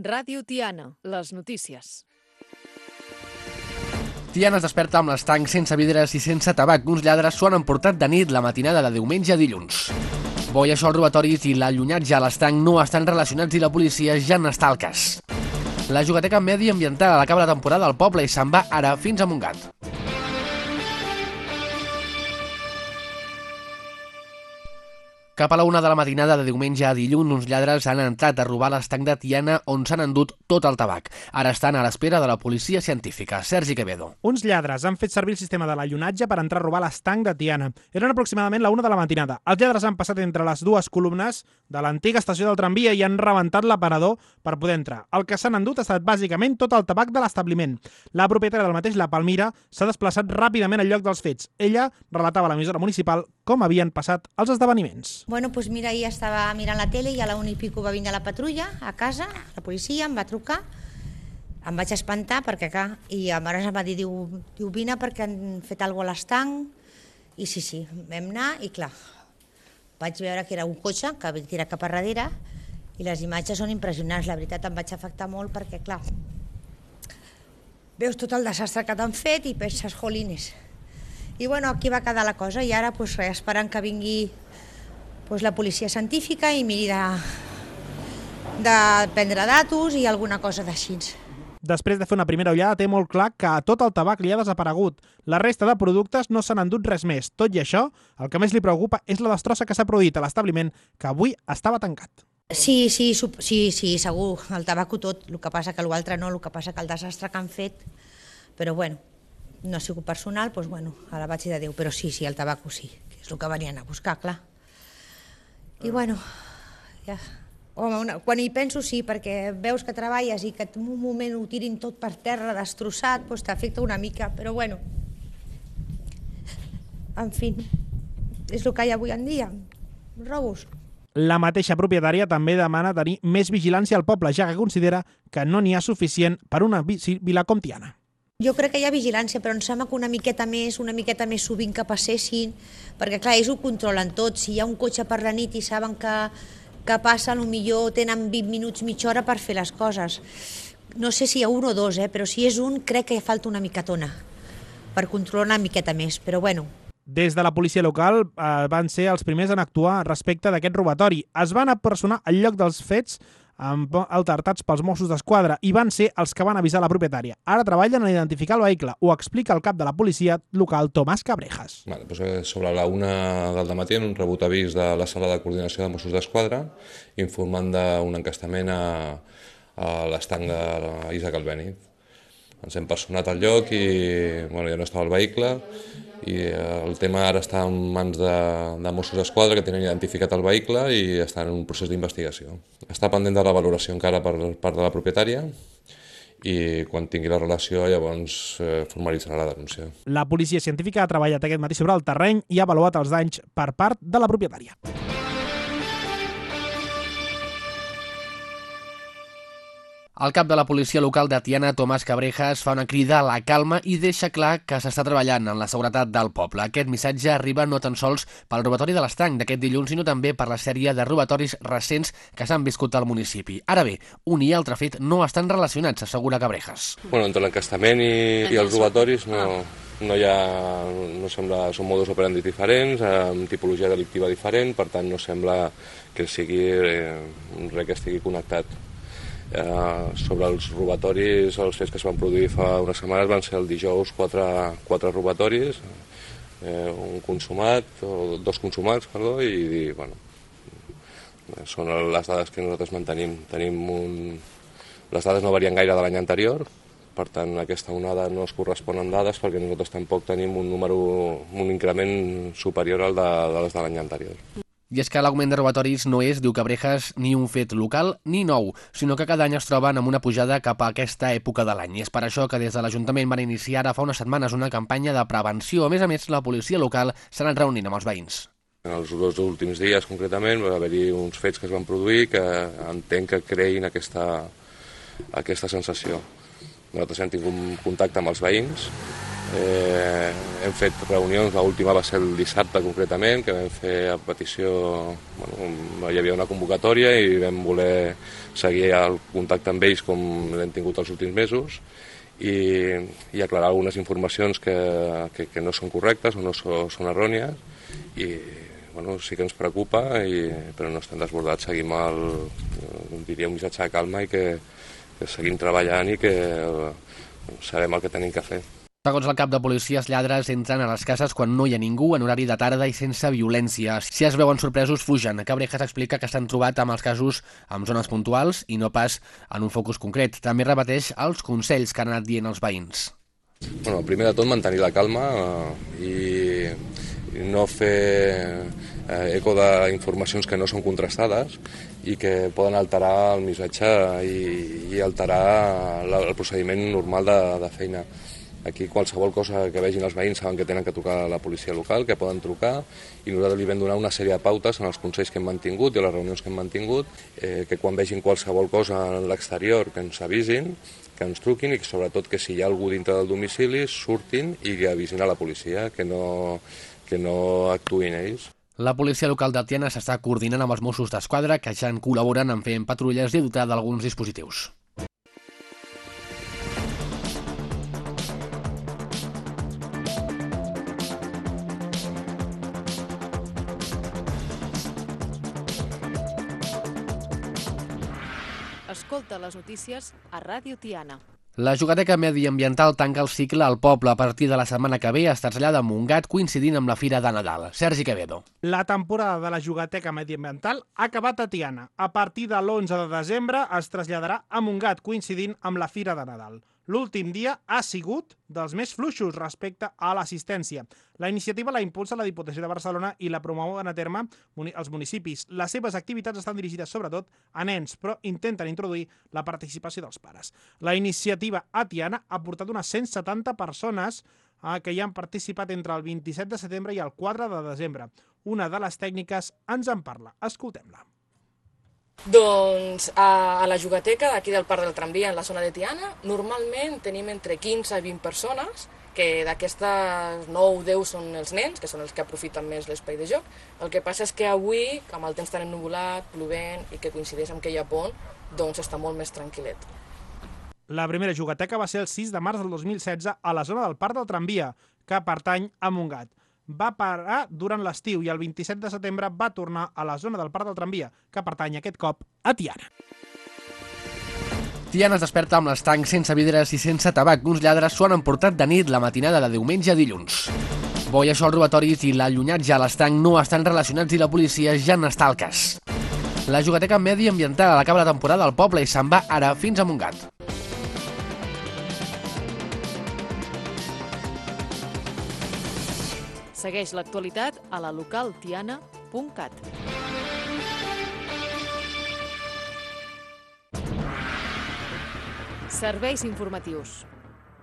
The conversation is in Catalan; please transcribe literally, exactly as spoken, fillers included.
Ràdio Tiana, les notícies. Tiana es desperta amb l'estanc sense vidres i sense tabac. Uns lladres s'ho han emportat de nit la matinada de diumenge a dilluns. Bo i això, els robatoris i l'allunatge a l'estanc no estan relacionats i la policia ja n'està al cas. La jugateca mediambiental acaba la temporada al poble i se'n va ara fins a Montgat. Cap a la una de la matinada de diumenge a dilluns, uns lladres han entrat a robar l'estanc de Tiana on s'han endut tot el tabac. Ara estan a l'espera de la policia científica. Sergi Quevedo. Uns lladres han fet servir el sistema de l'allunatge per entrar a robar l'estanc de Tiana. Eren aproximadament la una de la matinada. Els lladres han passat entre les dues columnes de l'antiga estació del tramvia i han rebentat l'aparador per poder entrar. El que s'han endut ha estat bàsicament tot el tabac de l'establiment. La propietària del mateix, la Palmira, s'ha desplaçat ràpidament al lloc dels fets. Ella relatava a l'emissora municipal com havien passat els esdeveniments. Bueno, pues mira, ahir estava mirant la tele i a la una i pico va vindre la patrulla a casa, la policia em va trucar, em vaig espantar perquè acá, i a mare em va dir, diu, diu vine perquè han fet alguna cosa a l'estanc, i sí, sí, vam anar i clar, vaig veure que era un cotxe que havia tirat cap a darrere i les imatges són impressionants, la veritat em vaig afectar molt perquè clar, veus tot el desastre que t'han fet i penses, jolines. I bueno, aquí va quedar la cosa i ara pues, esperant que vingui pues, la policia científica i miri de, de prendre datos i alguna cosa d'així. Després de fer una primera ullada, té molt clar que tot el tabac li ha desaparegut. La resta de productes no s'han endut res més. Tot i això, el que més li preocupa és la destrossa que s'ha produït a l'establiment, que avui estava tancat. Sí, sí, sí, sí, segur, el tabaco tot, el que passa que l'altre no, el que passa que el desastre que han fet, però bueno, no ha sigut personal, doncs bueno, a la vaig de Déu, però sí, sí, el tabaco sí, que és el que venien a buscar, clar. I bueno, ja... Home, una, quan hi penso sí, perquè veus que treballes i que en un moment ho tirin tot per terra destrossat, doncs t'afecta una mica, però bueno, en fi, és el que hi ha avui en dia, robos. La mateixa propietària també demana tenir més vigilància al poble, ja que considera que no n'hi ha suficient per una vila com Tiana. Jo crec que hi ha vigilància, però em sembla que una miqueta més, una miqueta més sovint que passessin, perquè clar, ells ho controlen tot. Si hi ha un cotxe per la nit i saben que, que passa, potser tenen vint minuts, mitja hora per fer les coses. No sé si hi ha un o dos, eh? Però si és un, crec que falta una miquetona per controlar una miqueta més, però bueno. Des de la policia local eh, van ser els primers en actuar respecte d'aquest robatori. Es van apersonar al lloc dels fets amb altertats pels Mossos d'Esquadra i van ser els que van avisar la propietària. Ara treballen en identificar el vehicle. Ho explica el cap de la policia local, Tomàs Cabrejas. Vale, doncs sobre la una del dematí, un rebut avís de la sala de coordinació de Mossos d'Esquadra informant d'un encastament a, a l'estanc d'Isaac Albéniz. Ens hem personat al lloc i bueno, ja no estava el vehicle i el tema ara està en mans de, de Mossos d'Esquadra que tenen identificat el vehicle i estan en un procés d'investigació. Està pendent de la valoració encara per part de la propietària i quan tingui la relació llavors eh, formalitzarà la denúncia. La policia científica ha treballat aquest matí sobre el terreny i ha avaluat els danys per part de la propietària. El cap de la policia local de Tiana, Tomàs Cabrejas, fa una crida a la calma i deixa clar que s'està treballant en la seguretat del poble. Aquest missatge arriba no tan sols pel robatori de l'estanc d'aquest dilluns, sinó també per la sèrie de robatoris recents que s'han viscut al municipi. Ara bé, un i altre fet no estan relacionats, assegura Cabrejas. Bueno, entre l'encastament i, i els robatoris no, no hi ha, no sembla, són modus operandi diferents, amb tipologia delictiva diferent, per tant no sembla que sigui eh, res que estigui connectat. Eh, sobre els robatoris, els fets que es van produir fa unes setmanes van ser el dijous quatre, quatre robatoris, eh, un consumat, o dos consumats, perdó, i, i bueno, són les dades que nosaltres mantenim. Tenim un... Les dades no varien gaire de l'any anterior, per tant aquesta onada no es correspon amb dades perquè nosaltres tampoc tenim un número, un increment superior al de, de les de l'any anterior. I és que l'augment de robatoris no és, diu Cabrejas, ni un fet local ni nou, sinó que cada any es troben amb una pujada cap a aquesta època de l'any. I és per això que des de l'Ajuntament van iniciar ara fa unes setmanes una campanya de prevenció. A més a més, la policia local s'ha anat reunint amb els veïns. En els dos últims dies, concretament, va haver-hi uns fets que es van produir que entenc que creïn aquesta, aquesta sensació. Nosaltres hem tingut contacte amb els veïns Eh, hem fet reunions, l'última va ser el dissabte concretament, que vam fer a petició, bueno, hi havia una convocatòria i vam voler seguir el contacte amb ells com l'hem tingut els últims mesos i, i aclarar algunes informacions que, que, que no són correctes o no són, són errònies i bueno, sí que ens preocupa, i, però no estem desbordats, seguim el, diria un missatge de calma i que, que seguim treballant i que sabem el que tenim que fer. Segons el cap de policia, els lladres entren a les cases quan no hi ha ningú, en horari de tarda i sense violència. Si es veuen sorpresos, fugen. Cabrejas explica que s'han trobat amb els casos en zones puntuals i no pas en un focus concret. També repeteix els consells que han anat dient els veïns. Bueno, primer de tot, mantenir la calma eh, i no fer eh, eco d'informacions que no són contrastades i que poden alterar el missatge i, i alterar la, el procediment normal de, de feina. Aquí qualsevol cosa que vegin els veïns saben que tenen que trucar a la policia local, que poden trucar, i nosaltres li vam donar una sèrie de pautes en els consells que hem mantingut i a les reunions que hem mantingut, eh, que quan vegin qualsevol cosa en l'exterior que ens avisin, que ens truquin i que sobretot que si hi ha algú dintre del domicili surtin i que avisin a la policia, que no, que no actuïn ells. La policia local de Tiana s'està coordinant amb els Mossos d'Esquadra, que ja en col·laboren en fer patrulles i dotar d'alguns dispositius. Escolta les notícies a Ràdio Tiana. La Jugateca Mediambiental tanca el cicle al poble a partir de la setmana que ve. Es trasllada a Montgat coincidint amb la Fira de Nadal. Sergi Quevedo. La temporada de la Jugateca Mediambiental ha acabat a Tiana. A partir de l'onze de desembre es traslladarà a Montgat coincidint amb la Fira de Nadal. L'últim dia ha sigut dels més fluixos respecte a l'assistència. La iniciativa la impulsa la Diputació de Barcelona i la promouen a terme els municipis. Les seves activitats estan dirigides sobretot a nens, però intenten introduir la participació dels pares. La iniciativa a Tiana ha portat unes cent setanta persones que hi han participat entre el vint-i-set de setembre i el quatre de desembre. Una de les tècniques ens en parla. Escoltem-la. Doncs a la Jugateca d'aquí del Parc del Tramvia, en la zona de Tiana, normalment tenim entre quinze i vint persones, que d'aquestes nou o deu són els nens, que són els que aprofiten més l'espai de joc. El que passa és que avui, amb el temps tan ennuvolat, plovent i que coincideix amb que hi ha pont, doncs està molt més tranquil·let. La primera Jugateca va ser el sis de març del dos mil setze a la zona del Parc del Tramvia, que pertany a Montgat. Va parar durant l'estiu i el vint-i-set de setembre va tornar a la zona del Parc del Tramvia, que pertany aquest cop a Tiana. Tiana es desperta amb l'estanc sense vidres i sense tabac. Uns lladres s'ho han emportat de nit la matinada de diumenge a dilluns. Bo, i això, els robatoris i l'allunyatge a l'estanc no estan relacionats i la policia ja n'està al cas. La Jugateca Mediambiental acaba la temporada al poble i se'n va ara fins a Montgat. Segueix l'actualitat a la local tiana punt cat. Serveis informatius.